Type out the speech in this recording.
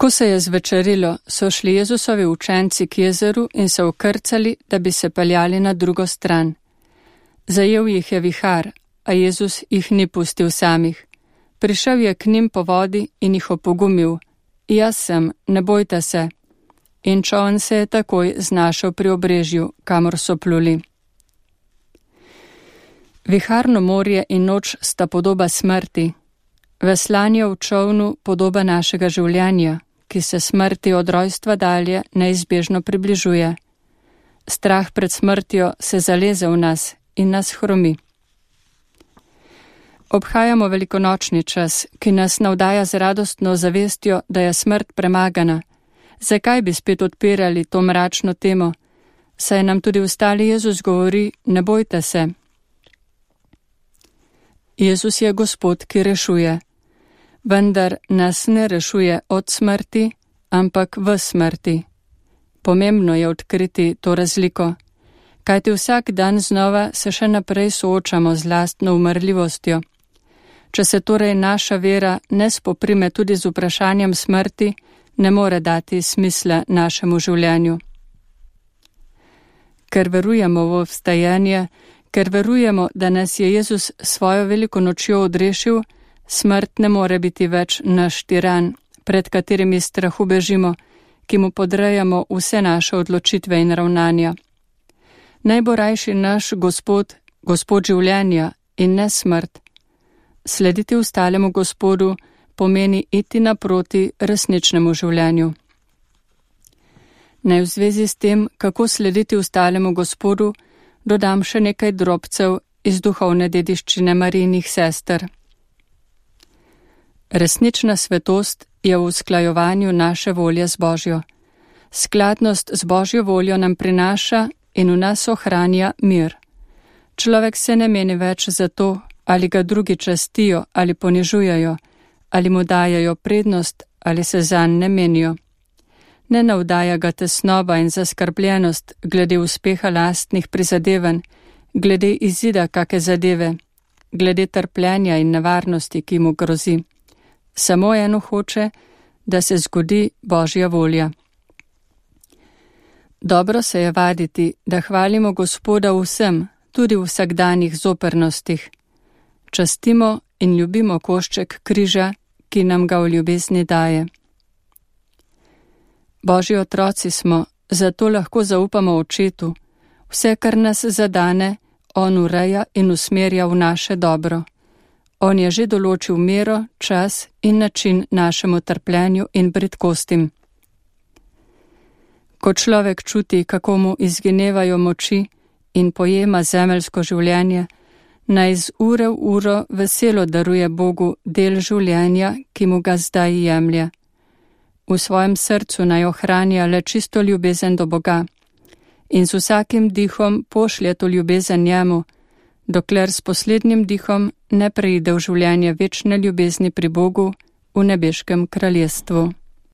Ko se je zvečerilo, so šli Jezusovi učenci k jezeru in se ukrcali, da bi se peljali na drugo stran. Zajel jih je vihar, a Jezus jih ni pustil samih. Prišel je k njim po vodi in jih opogumil: Jaz sem, ne bojte se. In čoln se je takoj znašel pri obrežju, kamor so pluli. Viharno morje in noč sta podoba smrti. Veslanje v čolnu podoba našega življenja, ki se smrti od rojstva dalje neizbežno približuje. Strah pred smrtjo se zaleze v nas in nas hromi. Obhajamo velikonočni čas, ki nas navdaja z radostno zavestjo, da je smrt premagana. Zakaj bi spet odpirali to mračno temo? Saj nam tudi ostali Jezus govori: ne bojte se. Jezus je Gospod, ki rešuje. Vendar nas ne rešuje od smrti, ampak v smrti. Pomembno je odkriti to razliko, kajti vsak dan znova se še naprej soočamo z lastno umrljivostjo. Če se torej naša vera ne spoprime tudi z vprašanjem smrti, ne more dati smisla našemu življenju. Ker verujemo v vstajanje, ker verujemo, da nas je Jezus svojo veliko nočjo odrešil, smrt ne more biti več naš tiran, pred katerimi strahu bežimo, ki mu podrejamo vse naše odločitve in ravnanja. Naj bo rajši naš Gospod, Gospod življenja in ne smrt. Slediti ostalemu Gospodu pomeni iti naproti resničnemu življenju. Naj v zvezi s tem, kako slediti ostalemu Gospodu, dodam še nekaj drobcev iz duhovne dediščine Marijinih sester. Resnična svetost je v usklajevanju naše volje z Božjo. Skladnost z Božjo voljo nam prinaša in v nas ohranja mir. Človek se ne meni več za to, ali ga drugi častijo ali ponižujejo, ali mu dajajo prednost ali se zanj ne menijo. Ne navdaja ga tesnoba in zaskrbljenost glede uspeha lastnih prizadevanj, glede izida kake zadeve, glede trpljenja in nevarnosti, ki mu grozi. Samo eno hoče, da se zgodi Božja volja. Dobro se je vaditi, da hvalimo Gospoda vsem, tudi v vsakdanjih zopernostih. Častimo in ljubimo košček križa, ki nam ga v ljubezni daje. Božji otroci smo, zato lahko zaupamo Očetu. Vse, kar nas zadane, On ureja in usmerja v naše dobro. On je že določil mero, čas in način našemu trpljenju in bridkostim. Ko človek čuti, kako mu izginevajo moči in pojema zemeljsko življenje, naj z ure v uro veselo daruje Bogu del življenja, ki mu ga zdaj jemlje. V svojem srcu naj ohranja le čisto ljubezen do Boga in z vsakim dihom pošlje to ljubezen njemu, dokler s poslednjim dihom ne preide v življenje večne ljubezni pri Bogu v nebeškem kraljestvu.